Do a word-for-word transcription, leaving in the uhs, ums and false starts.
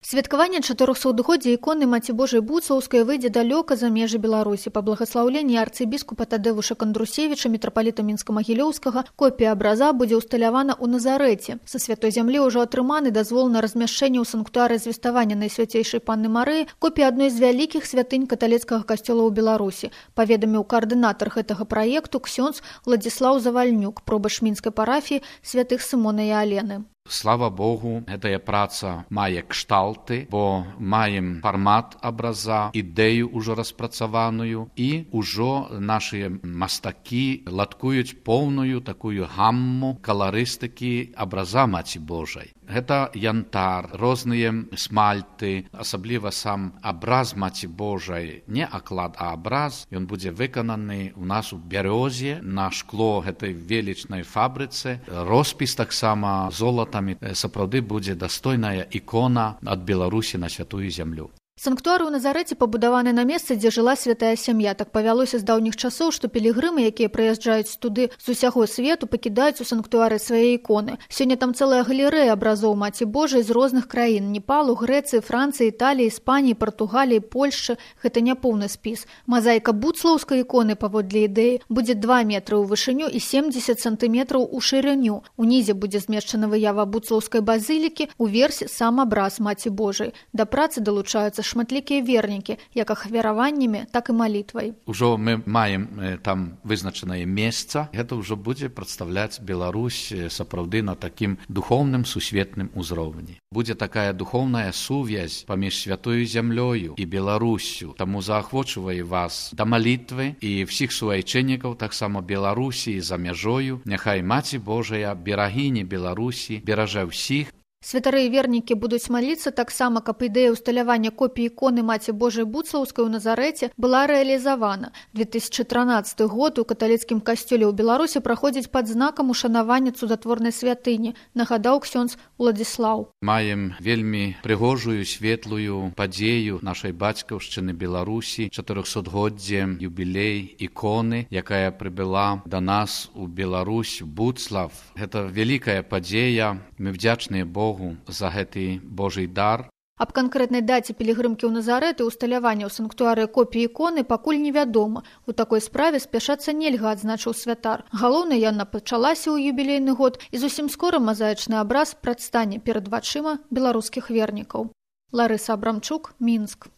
Святкаванне чатырохсотгоддзя іконы Маці Божай Буцлаўскай выйдзе далёка за межы Беларусі. Па благаслаўленні арцыбіскупа Тадеуша Кандрусевіча, мітрапаліта Мінска-Магілёўскага, копія абраза будзе ўсталявана ў Назарэце. Са святой зямлі ўжо атрыманы дазвол на размяшчэнне ў санктуары звеставання Найсвяцейшай Панны Марыі, копія адной з вялікіх святынь каталіцкага касцёла ў Беларусі, паведаміў каардынатар гэтага праекту ксёндз Владзіслаў Завальнюк, пробач мінскай парафіі святых Сымона і Алены. Слава Богу, гэтая праца мае кшталты, бо маем фармат абраза, ідэю ўжо распрацаваную, і ўжо нашыя мастакі ладкуюць поўную такую гамму каларыстыкі абраза Маці Божай. Гэта янтар, розныя смальты, асабліва сам абраз Маці Божай, не аклад, а абраз, ён будзе выкананы ў нас у бярёзе, на шкло гэтай велічнай фабрыцы, роспіс таксама золата. Сапраўды будзе дастойная ікона ад Беларусі на святую зямлю. Санктуар у Назарэце пабудаваны на месцы, дзе жыла святая сям'я. Так павялося з даўніх часоў, што пілігрымы, якія прыязджаюць туды з усяго свету, пакідаюць у санктуары свае іконы. Сёння там цэлая галерэя абразоў Маці Божай з розных краін: Непалу, Грэцыі, Францыі, Італіі, Іспаніі, Партугаліі, Польшчы. Гэта не поўны спіс. Мазаіка буцлаўскай іконы, паводле ідэі, будзе два метры ў вышыню і семдзесят сантыметраў у шырыню. Унізе будзе змешчана выява буцлаўскай базілікі, уверсе сам абраз Маці Божай. Да працы далучаюцца шматлікія вернікі, як ахвяраваннямі, так і малітвай. Ужо мы маем э, там вызначанае месца. Гэта ўжо будзе прадстаўляць Беларусь э, сапраўды на такім духоўным сусветным узроўні. Будзе такая духоўная сувязь паміж святою зямлёю і Беларусю. Таму заахвочваю вас да малітвы і всіх суайчыннікаў, таксама Беларусі за мяжою. Няхай Маці Божая, берагіні Беларусі, беража ўсіх. Святары і вернікі будуць маліцца таксама, каб ідэя ўсталявання копіі іконы Маці Божай Буцлаўскай у Назарэце была рэалізавана. две тысячы трынаццаты год у каталіцкім касцёле ў Беларусі праходзіць пад знакам ушанавання цудатворнай святыні, нагадаў ксёндз Владзіслаў. Маем вельмі прыгожую, светлую падзею нашай бацькаўшчыны Беларусі, чатырохсотгоддзе юбілей іконы, якая прыбыла да нас у Беларусь, Буцлав. Гэта вялікая падзея. Мы вдзячныя Богу за гэты Божий дар. Аб канкрэтнай даце пілігрымкі ў Назарэт і ўсталявання ў санктуары копіі іконы пакуль невядома. У такой справе спяшацца нельга, адзначыў святар. Галоўнае, яна пачалася ў юбілейны год, і зусім скора мазаічны абраз прадстане перад вачыма беларускіх вернікаў. Ларыса Абрамчук, Мінск.